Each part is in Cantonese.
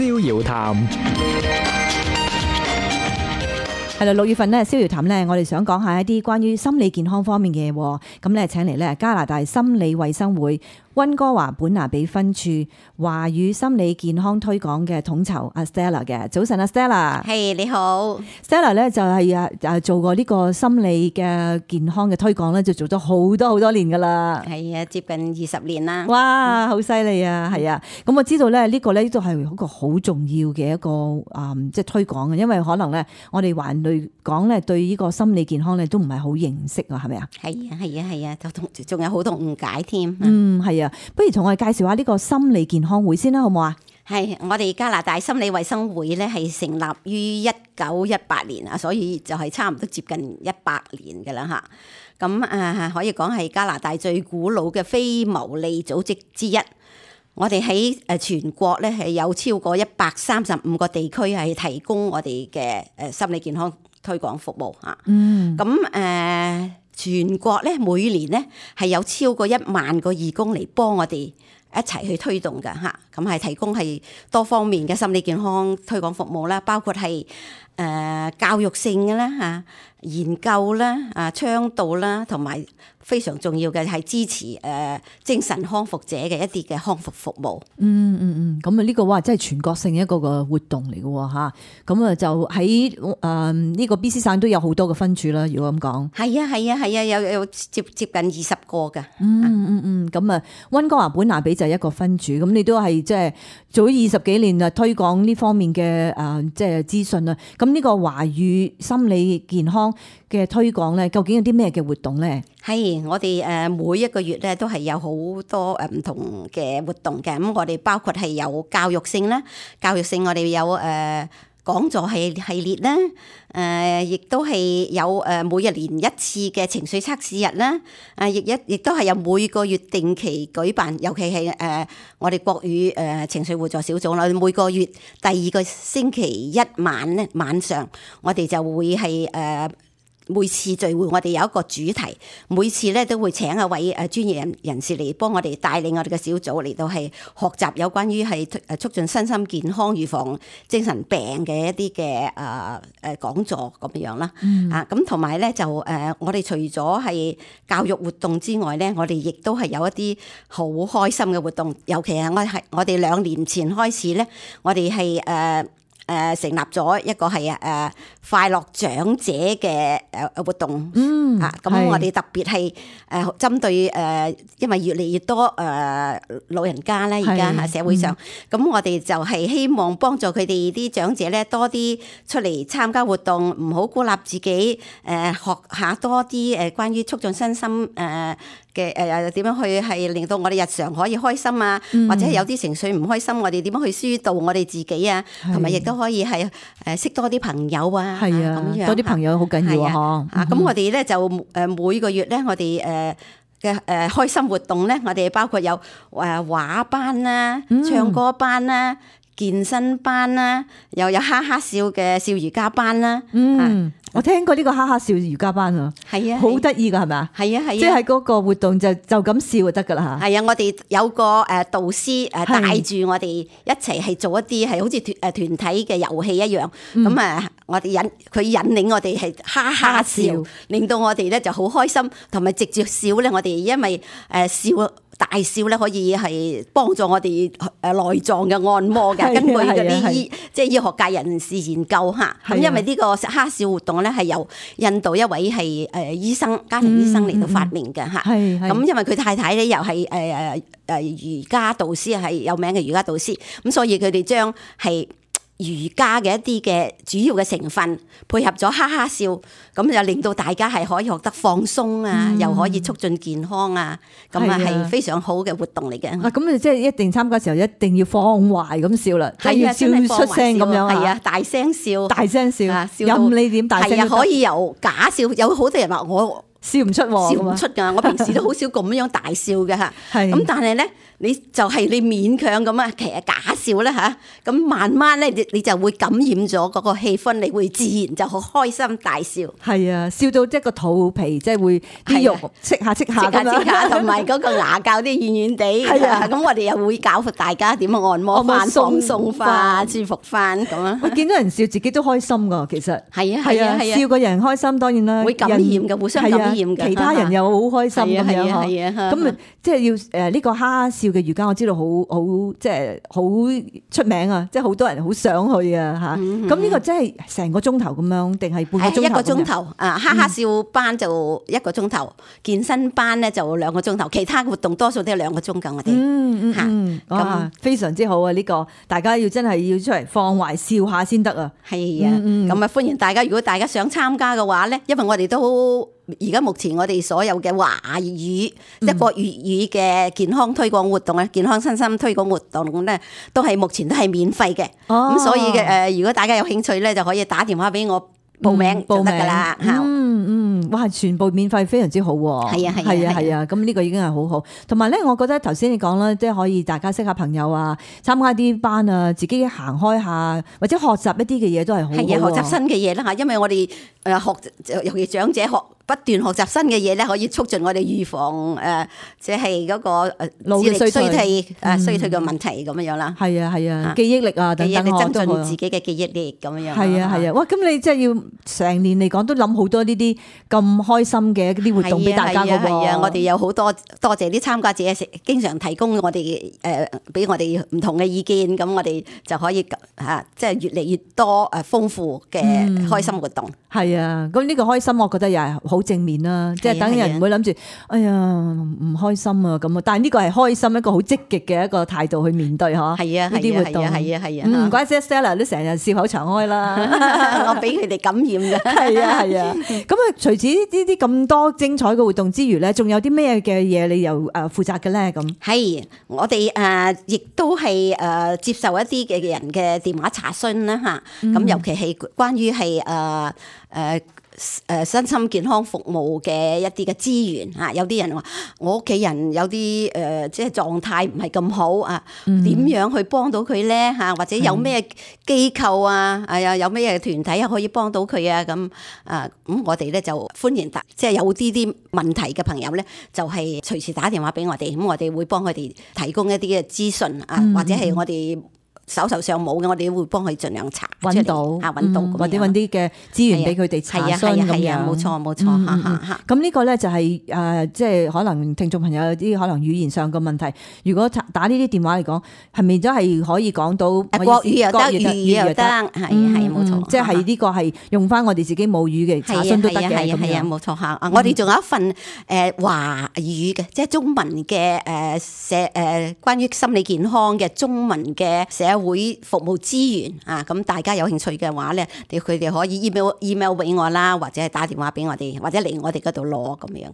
逍遙談。係啦，6月份咧，逍遙談咧，我哋想講下一啲關於心理健康方面嘅嘢。咁咧，請嚟咧加拿大心理衛生會溫哥華本拿比分處華語心理健康推廣嘅統籌阿 Stella 嘅。早晨，阿 Stella。係，你好。Stella 咧就係做過呢個心理嘅健康嘅推廣咧，就做咗好多年噶啦。係啊，接近20年啦。哇，好犀利啊！係啊，咁我知道咧呢個咧都係一個好重要嘅一個即係推廣嘅，因為可能咧我哋環類講咧對呢個心理健康咧都唔係好認識啊，係咪啊？係啊，仲有好多誤解添。係啊，不如同我哋介紹下呢個心理健康會先啦，好唔好啊？係，我哋加拿大心理衛生會咧係成立於1918年啊，所以就係差唔多接近100年㗎啦嚇。咁可以講係加拿大最古老嘅非牟利組織之一。我哋喺全國咧係有超過135個地區係提供我哋嘅心理健康推廣服務嚇。咁全國咧每年咧係有超過1萬個義工嚟幫我哋一齊去推動㗎嚇。咁係提供係多方面嘅心理健康推廣服務啦，包括係教育性嘅啦嚇、研究啦、倡導啦，同埋非常重要嘅係支持精神康復者嘅一啲嘅康復服務。咁啊呢個真係全國性一個活動嚟嘅嚇。咁啊就喺呢個 BC 省都有好多個分處啦。如果咁講，係啊，有接近20個㗎。咁啊溫哥華本拿比就係一個分處。咁你都係即係做咗20幾年啊，推廣呢方面嘅即係資訊啊。咁呢個華語心理健康嘅推廣咧，究竟有啲咩嘅活動咧？係，我哋每一個月咧都係有好多唔同嘅活動嘅。咁我哋包括係有教育性啦，教育性我哋有講座系列啦，亦都係有每一年一次嘅情緒測試日啦，亦都係有每個月定期舉辦，尤其係我哋國語情緒互助小組啦，每個月第2個星期一晚咧晚上，我哋就會係每次聚會我哋有一個主題，每次咧都會請一位專業人士嚟幫我哋帶領我哋嘅小組嚟到係學習有關於係促進身心健康、預防精神病嘅一啲嘅講座咁樣啦。咁同埋咧就我哋除咗係教育活動之外咧，我哋亦都係有一啲好開心嘅活動，尤其係我哋2年前開始咧，我哋係成立咗一個係快樂長者嘅活動。咁我哋特別係針對因為越嚟越多老人家咧，而家社會上，咁我哋就係希望幫助佢哋啲長者咧多啲出嚟參加活動，唔好孤立自己，學下多啲關於促進身心嘅點樣去係令到我哋日常可以開心啊，或者有啲情緒唔開心，我哋點樣去疏導我哋自己啊，同埋亦都可以係識多啲朋友啊，咁樣多啲朋友好緊要啊！咁我哋咧就每個月咧，我哋嘅開心活動咧，我哋包括有畫班啦、唱歌班啦、健身班啦，又有哈哈笑嘅笑瑜伽班啦。我聽過呢個哈哈笑瑜伽班啊，係啊，好得意噶，係咪啊？係啊，即係嗰個活動就咁笑就得噶啦嚇。係啊，我哋有個導師帶住我哋一齊係做一啲係好似團體嘅遊戲一樣。咁我哋佢引領我哋係哈哈笑，令到我哋咧就好開心，同埋直接笑咧，我哋因為笑。大笑咧可以係幫助我哋內臟嘅按摩嘅，根據嗰啲即係醫學界人士研究嚇。咁因為呢個哈笑活動咧係由印度一位係醫生、家庭醫生嚟到發明嘅嚇。咁因為佢太太咧又係瑜伽導師，係有名嘅瑜伽導師，咁所以佢哋將係瑜伽嘅一啲嘅主要嘅成分配合咗哈哈笑，咁就令到大家係可以學得放鬆啊，又可以促進健康啊，咁係非常好嘅活動嚟嘅。咁你即係一定參加嘅時候一定要放壞咁笑啦，即係要笑出聲咁樣啊！係啊，大聲笑，大聲笑，任你點大聲。係啊，可以由假笑，有好多人話我笑唔出，笑唔出㗎。我平時都好少咁樣大笑嘅嚇。咁但係咧，你就係你勉強咁啊，其實假笑啦嚇，咁慢慢咧你就會感染咗嗰個氣氛，你會自然就好開心大笑。係啊，笑到即係個肚皮即係會啲肉戚下戚下咁樣，同埋嗰個牙膠啲軟軟地。係啊，咁我哋又會教大家點樣按摩翻、放鬆翻、舒服翻咁啊。我見到人笑自己都開心噶，其實係啊，笑個人開心當然啦，會感染嘅，互相感染嘅，其他人又好開心咁樣係啊，咁即係要呢個哈哈笑嘅瑜伽，我知道好即係好出名啊，即係好多人好想去啊嚇。咁呢個即係成個鐘頭咁樣，定係半個鐘頭？一個鐘頭啊，哈哈笑班就一個鐘頭，健身班咧就2個鐘頭，其他活動多數都係2個鐘㗎，我哋咁非常之好啊！呢個大家要真係要出嚟放懷笑下先得啊！係啊，咁啊歡迎大家，如果大家想參加嘅話咧，因為我哋都而家目前我哋所有嘅華語即係國粵語嘅健康推廣活動啊，健康身心推廣活動咧，都係目前都係免費嘅。咁所以嘅如果大家有興趣咧，就可以打電話俾我報名就得㗎啦。哇！全部免費，非常之好喎。係啊，咁呢個已經係好好。同埋咧，我覺得頭先你講啦，即係可以大家識下朋友啊，參加啲班啊，自己行開下，或者學習一啲嘅嘢都係好。係啊，學習新嘅嘢啦嚇，因為我哋尤其長者不斷學習新嘅嘢咧，可以促進我哋預防即係嗰個智力衰退嘅問題咁樣啦。係啊，記憶力啊等等，增進自己嘅記憶力咁樣。係啊，哇！咁你即係要成年嚟講都諗好多呢啲咁開心嘅一啲活動俾大家㗎喎。係啊，我哋有好多謝啲參加者，經常提供我哋俾我哋唔同嘅意見，咁我哋就可以即係越嚟越多豐富嘅開心活動。係啊，咁呢個開心，我覺得又係好正面啦，即係等人唔會諗住，哎呀唔開心啊咁啊，但係呢個係開心一個好積極嘅一個態度去面對嗬。係啊，呢啲活動係啊，唔怪之 Stella 都成日笑口常開啦，我俾佢哋感染嘅。係啊，咁啊，除此呢啲咁多精彩嘅活動之餘咧，仲有啲咩嘅嘢你又負責嘅咧？咁係我哋亦都係接受一啲嘅人嘅電話查詢啦嚇，咁尤其係關於係身心健康服務嘅一啲嘅資源嚇，有啲人話我屋企人有啲即係狀態唔係咁好啊，點樣去幫到佢咧嚇？或者有咩機構啊，有咩團體可以幫到佢啊？咁咁我哋咧就歡迎即係有啲問題嘅朋友咧，就係隨時打電話俾我哋，咁我哋會幫佢哋提供一啲嘅資訊啊，或者係我哋手頭上冇嘅，我哋會幫佢盡量查揾到或者揾啲嘅資源俾佢哋查詢咁樣。冇錯咁呢個咧就係即係可能聽眾朋友有啲可能語言上嘅問題，如果打呢啲電話嚟講，係咪都係可以講到國語又得，粵語又得？係冇錯，即係呢個係用翻我哋自己母語嘅查詢都得嘅。係啊，冇錯嚇。我哋仲有一份華語嘅，即係中文嘅關於心理健康嘅中文嘅社會服務資源啊，咁大家有興趣嘅話咧，佢哋可以 email 俾我啦，或者係打電話俾我哋，或者嚟我哋嗰度攞咁樣。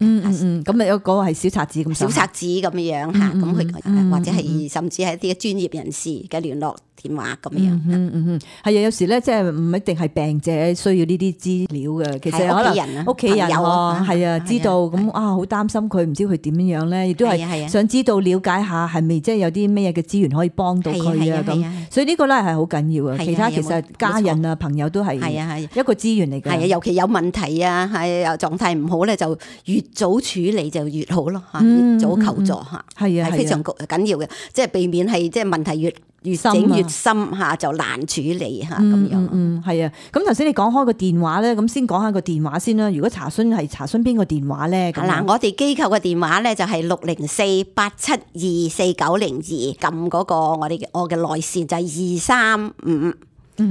咁有嗰個係小冊子咁。小冊子咁樣嚇，咁佢或者係甚至係一啲專業人士嘅聯絡電話咁樣。係啊，有時咧即係唔一定係病者需要呢啲資料嘅，其實可能屋企人係啊知道咁好擔心佢，唔知佢點樣咧，亦都係想知道了解下係咪即係有啲咩嘅資源可以幫到佢啊咁。所以呢個咧係好緊要嘅，其他其實家人啊朋友都係一個資源嚟嘅。係啊，尤其有問題啊，係狀態唔好咧，就越早處理就越好咯嚇，越早求助嚇，係非常緊要嘅，即係避免係即係問題越整越深嚇，就難處理嚇咁樣。係啊。咁頭先你講開個電話咧，咁先講下個電話先啦。如果查詢係查詢邊個電話咧？嗱，我哋機構嘅電話咧就係604-872-4902，撳嗰個我嘅內線就係235。我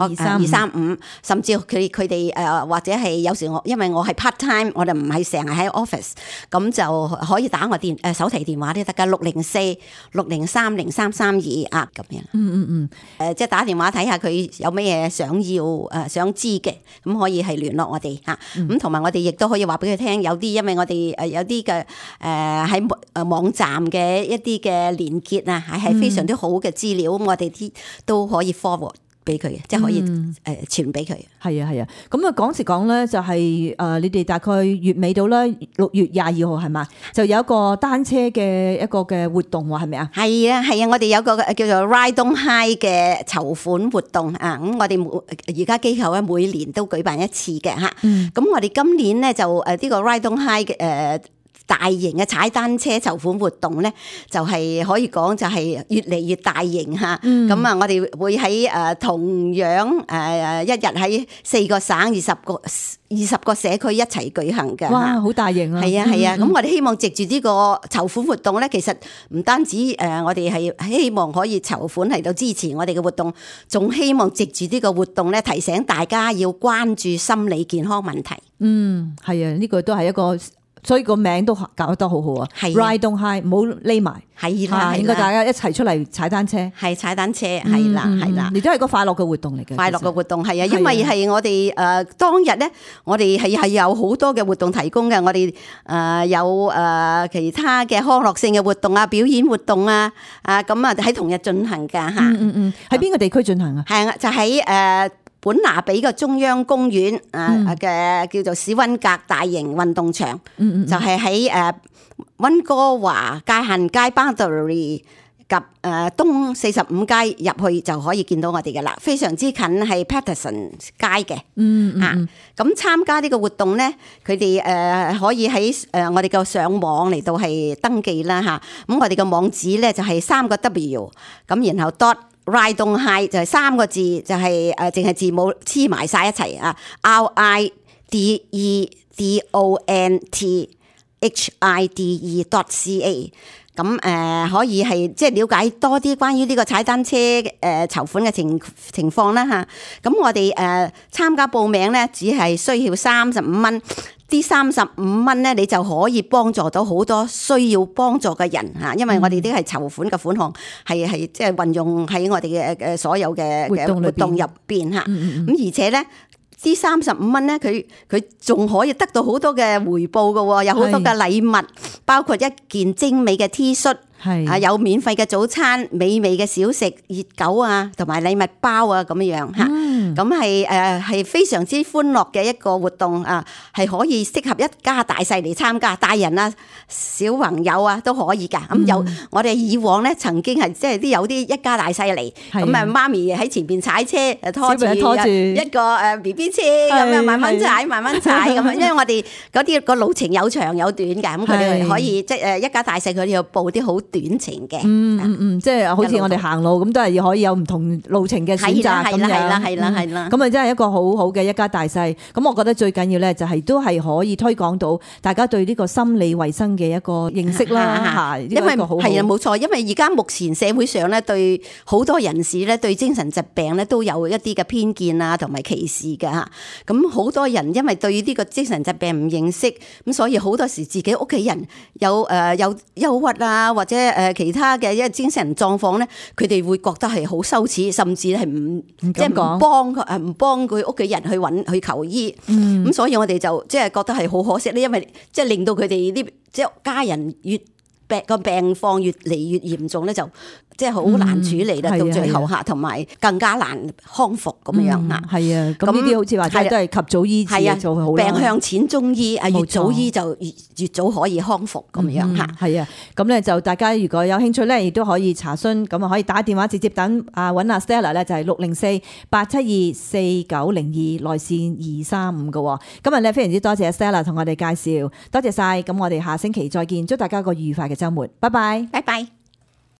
235，甚至佢哋或者係有時因為我係 part time， 我哋唔係成日喺 office， 咁就可以打我手提電話都得噶，604-603-0332咁樣。即係打電話睇下佢有咩嘢想知嘅，咁可以係聯絡我哋嚇。咁同埋我哋亦都可以話俾佢聽，有啲因為我哋有啲嘅喺網站嘅一啲嘅連結啊，係非常之好嘅資料，咁我哋啲都可以 forward 俾佢嘅，即係可以傳俾佢。係啊，咁啊講時講咧，就係你哋大概月尾到啦，6月22號係嘛，就有一個單車嘅一個嘅活動喎，係咪啊？係啊，我哋有個叫做 Ride on High 嘅籌款活動啊，咁我哋而家機構咧每年都舉辦一次嘅嚇。咁我哋今年咧就呢個 Ride on High 嘅大型嘅踩單車籌款活動咧，就係可以講就係越嚟越大型嚇。咁啊，我哋會喺同樣一日喺4個省20個社區一齊舉行嘅。哇，好大型啊！係啊，咁我哋希望藉住呢個籌款活動咧，其實唔單止我哋係希望可以籌款嚟到支持我哋嘅活動，仲希望藉住呢個活動咧，提醒大家要關注心理健康問題。係啊，呢個都係一個。所以個名都搞得好好啊 ！Ride on High，唔好匿埋，係啦，應該大家一齊出嚟踩單車，係踩單車，係啦，亦都係個快樂嘅活動嚟嘅。快樂嘅活動係啊，因為係我哋當日咧，我哋係有好多嘅活動提供嘅，我哋有其他嘅康樂性嘅活動啊、表演活動啊，咁啊喺同日進行㗎嚇。喺邊個地區進行啊？係啊，就喺本拿比嘅中央公園嘅叫做史溫格大型運動場，就係喺溫哥華界限街 boundary 及東45街入去就可以見到我哋嘅啦，非常之近係 Patterson 街嘅。咁參加呢個活動咧，佢哋可以喺我哋嘅上網嚟到係登記啦嚇。咁我哋嘅網址咧就係3個 W， 咁然後 Ride on High 就係3個字，就係淨係字母黐埋晒一齊啊 RIDEDONTHIDE.ca。咁可以係即係了解多啲關於呢個踩單車籌款嘅情況啦嚇。咁我哋參加報名咧，只係需要35蚊。啲35蚊咧，你就可以幫助到好多需要幫助嘅人嚇，因為我哋啲係籌款嘅款項，係即係運用喺我哋嘅所有嘅活動入邊嚇。咁而且咧，啲35蚊咧，佢仲可以得到好多嘅回報嘅喎，有好多嘅禮物，包括一件精美嘅 T 恤。有免費嘅早餐、美味嘅小食、熱狗啊，同埋禮物包啊，咁樣嚇。咁係非常之歡樂嘅一個活動啊，係可以適合一家大細嚟參加，大人啊、小朋友啊都可以㗎。咁我哋以往咧曾經係即係有啲一家大細嚟，咁啊媽咪喺前邊踩車，拖住一個BB 車咁樣慢慢踩咁樣，因為我哋嗰啲個路程有長有短㗎，咁佢哋可以即係一家大細佢哋要報啲好短程嘅，即係好似我哋行路咁，都係可以有唔同路程嘅選擇咁樣。係啦，咁啊真係一個好好嘅一家大細。咁我覺得最緊要咧，就係都係可以推廣到大家對呢個心理衛生嘅一個認識啦。因為係啊，冇錯，因為而家目前社會上咧，對好多人士咧，對精神疾病咧都有一啲嘅偏見啊，同埋歧視嘅嚇。咁好多人因為對呢個精神疾病唔認識，咁所以好多時自己屋企人有憂鬱啊，或者其他嘅一精神狀況咧，佢哋會覺得係好羞恥，甚至係唔幫佢屋企人去求醫。咁所以我哋就即係覺得係好可惜咧，因為即係令到佢哋啲即係家人個病況越嚟越嚴重咧，就即係好難處理啦，到最後嚇，同埋更加難康復咁樣嚇。係啊，咁呢啲好似話齋都係及早醫治就好啦。病向淺中醫，越早醫就越早可以康復咁樣嚇。係啊，咁咧就大家如果有興趣咧，亦都可以查詢，咁啊可以打電話直接等揾阿 Stella 咧，就係604-872-4902內線235嘅。今日咧非常之多謝 Stella 同我哋介紹，多謝晒。咁我哋下星期再見，祝大家個愉快嘅週末，拜拜，拜拜。